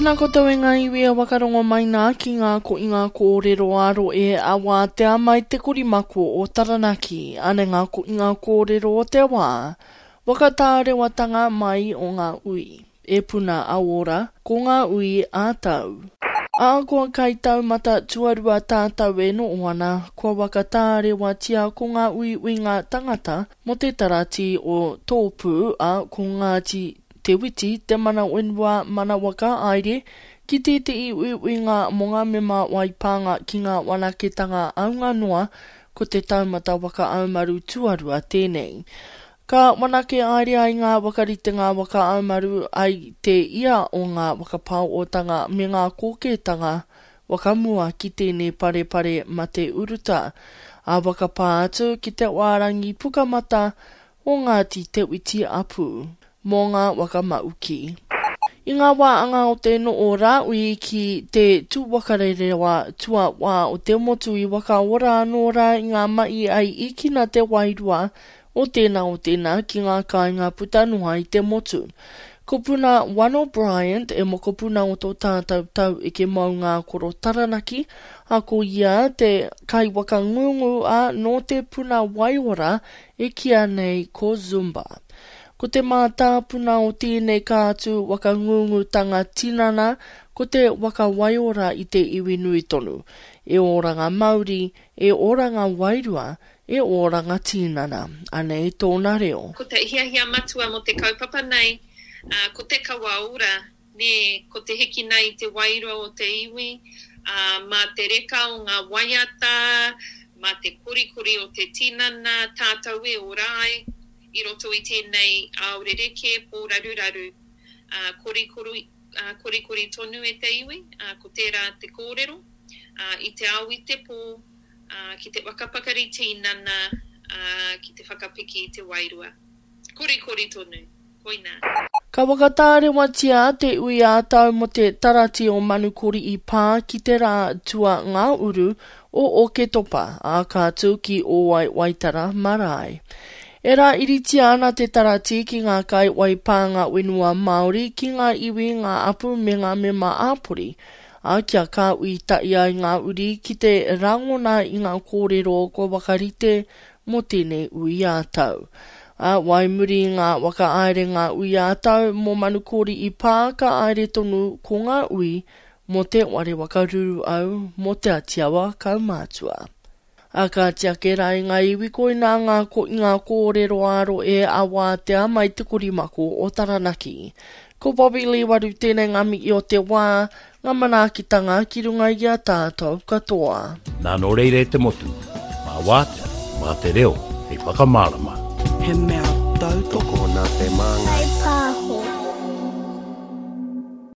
Tēnā koutou e ngā iwi e wakarongo mai nā ki ngā koinga kōrero ā-rohe a Wātea mai te korimako o Taranaki. Anei ngā koinga kōrero o te wā. Whakatārewatanga mai o ngā ui. E puna a ora, ko ngā ui ā-tau. Ahakoa kai taumata tuarua tātau e noho ana, kua whakatārewatia ko ngā uiuinga tangata mō te taratī o Tōpū, ā, ko Ngāti Te Witi, Te Mana Whenua, Mana Waka Aere, ki tētehi uiuinga mō ngā mema whai pānga ki ngā whanaketanga āunga noa, ko te taumata waka aumaru tuarua tēnei. Ka whanake aere ai ngā whakaritenga waka aumaru ai te ia o ngā whakapaootanga me ngā kōkētanga whakamua ki tēnei parepare mate uruta, ā whakapā atu ki te wārangi pukamata o Ngāti Te Witi Apu, mō ngā waka mauki. I ngā wā anga o te noo rāui ki te tūwakarerewa tuawā o te motu i whakaora anō rā i ngā mahi ai īkina te wairua o tēnā o tēnā ki ngā kāinga puta noa i te motu. Ko Puna Wano Bryant e mokopuna o tō tātou tau eke maunga koro Taranaki, a ko ia te kaiwakangungu a nō te puna waiora e kīa nei ko Zumba. Ko te mātāpuna o tēnei kātū whakangungutanga tinana ko te whakawaiora i te iwi nui tonu, e oranga mauri, e oranga wairua, e oranga tinana. Anei tōna reo. Ko te hiahia matua mō te kaupapa nei, ko te kawa ora, Nē, ko te hikina i te wairua o te iwi, ā, mā te reka o ngā waiata, mā te korikori o te tinana tātou e ora ai i roto i tēnei ao rerekē, pōraruraru, ā, korikori, ā, korikori tonu e te iwi, ā, ko tērā te kōrero, ā, i te ao i te pō, ā, ki te whakapakari tinana, ā, ki te whakapiki i te wairua. Korikori tonu. Koinā. Ka whakatārewatia te ui ā-tau mō te Tarati o Manukori i pā ki te rā tua ngā-uru o Oketopa, ā, ka tū ki Ōwai Waitara Marae. E rāiritia ana te tarati ki ngā kai waipānga whenua Māori, ki ngā iwi, ngā apu me ngā mema ā-pori, ā, kia kāhui tahi ai ngā uri ki te rangona i ngā kōrero kua whakarite mō tēnei ui ā-tau. Ā, wai muri i ngā whakahaere ngā ui ā-tau mō Manukori i pā ka haere tonu ko ngā ui mō Te Ware Waka Ruruau mō Te Atiawa Kaumātua. Ā, kāti ake rā i ngā iwi koinā ngā koinga kōrero ā-rohe a Wātea mai Te Korimako o Taranaki. Ko Bobby Lee Waru tēnei ngā mihi o te wā, Ngā manaakitanga ki runga i a tātou katoa. Nā nō reira e te motu, mā Wātea, mā te reo hei whakamārama. He mea tautoko. Tokona te māngai. Kai pā.